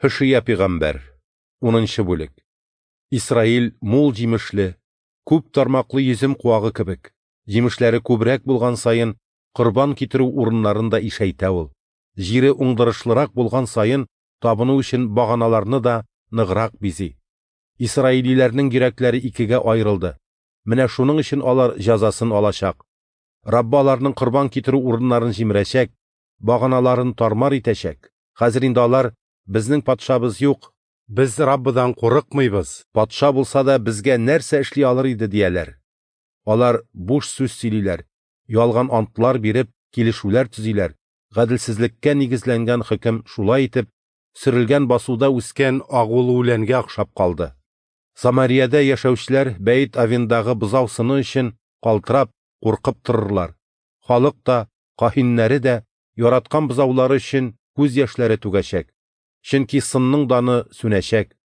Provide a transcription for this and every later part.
Һөшия пигамбәр, унынчы бүлек. Исраил мул җимешле, күп тармаклы йөзем куагы кебек, җимешләре күбрәк булган саен, корбан китерү урыннарын да ишәйтә ул. Җире уңдырышлырак булган саен, табыну өчен баганаларны да ныграк бизи. Исраилиләрнең йөрәкләре икегә аерылды. Менә шуның өчен алар җәзасын алачак. Раббы аларның корбан китерү урыннарын җимерәчәк, баганаларын тармар итәчәк. Хәзер инде алар: "Безнең патшабыз юк, без Раббыдан курыкмыйбыз, патша булса да безгә нәрсә эшли алыр иде", дияләр. Алар буш сүз сөйлиләр, ялган антлар биреп, килешүләр төзиләр. Гаделсезлеккә нигезләнгән хөкем шулай итеп сөрелгән басуда үскән агулы үләнгә охшап калды. Самариядә яшәүчеләр Бәйт Авендагы бозау сыны өчен калтырап, куркып торырлар. Халык та, каһиннәре дә яраткан бозаулары өчен күз яшьләре түгәчәк. Чөнки сынның даны сүнәчәк.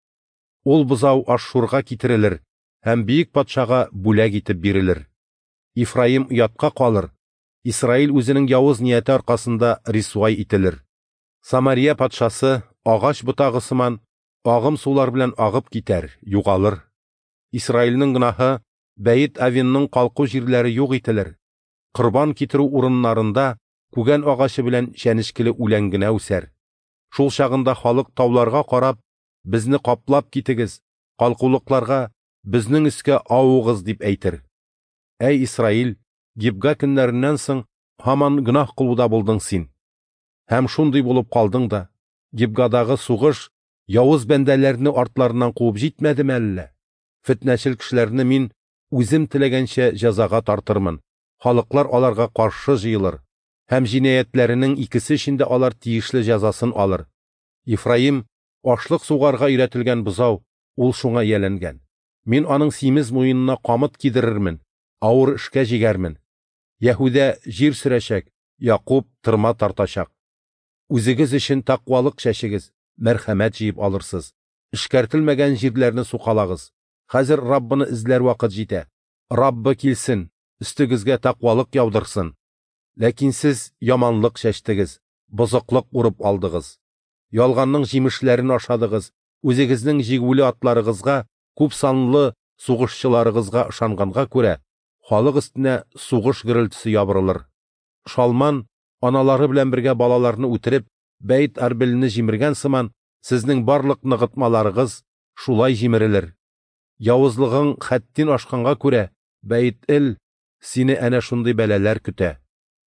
Ул бозау Ашшурга китерелер һәм бөек патшага бүләк итеп бирелер. Ифраим оятка калыр, Исраил үзенең явыз нияте аркасында рисвай ителер. Самария патшасы агач ботагы сыман агым сулар белән агып китәр, югалыр. Исраилнең гөнаһы Бәйт Авенның калку җирләре юк ителер. Корбан китерү урыннарында күгән агачы белән чәнечкеле үлән генә үсәр. Шул чагында халык тауларга карап, безне каплап китегез, калкулыкларга безнең өскә авыгыз дип әйтер. Әй Исраил, Гибга көннәреннән соң һаман гөнаһ кылуда булдың син. Һәм шундый булып калдың да, Гибгадагы сугыш явыз бәндәләрне артларыннан куып җитмәдеме әллә? Фетнәчел кешеләрне мин үзем теләгәнчә җәзага тартырмын. Халыклар аларга каршы җыелыр, һәм җинаятьләренең икесе өчен дә алар тиешле җәзасын алыр. Ефраим ашлык сугарга өйрәтелгән бозау, ул шуңа ияләнгән. Мин аның симез муенына камыт кидерермен, авыр эшкә җигәрмен. Яһүдә җир сөрәчәк, Якуб тырма тартачак. Үзегез өчен тәкъвалык чәчегез, мәрхәмәт җыеп алырсыз. Эшкәртелмәгән җирләрне сукалагыз. Хәзер Раббыны эзләр вакыт җитә. Раббы килсен, өстегезгә тәкъвалык яудырсын. Ләкин сез яманлык чәчтегез, бозыклык урып алдыгыз. Ялганның җимешләрен ашадыгыз, үзегезнең җигүле атларыгызга, күп санлы сугышчыларыгызга ышанганга күрә, халык өстенә сугыш гөрелтесе ябырылыр. Шалман, аналары белән бергә балаларны үтереп, Бәйт Арбелне җимергән сыман, сезнең барлык ныгытмаларыгыз шулай җимерелер. Явызлыгың хәттин ашканга күрә, Бәйт Эл, сине әнә шундый бәлаләр көтә.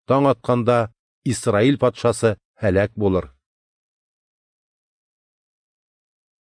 Таң атканда Исраил патшасы һәлак булыр.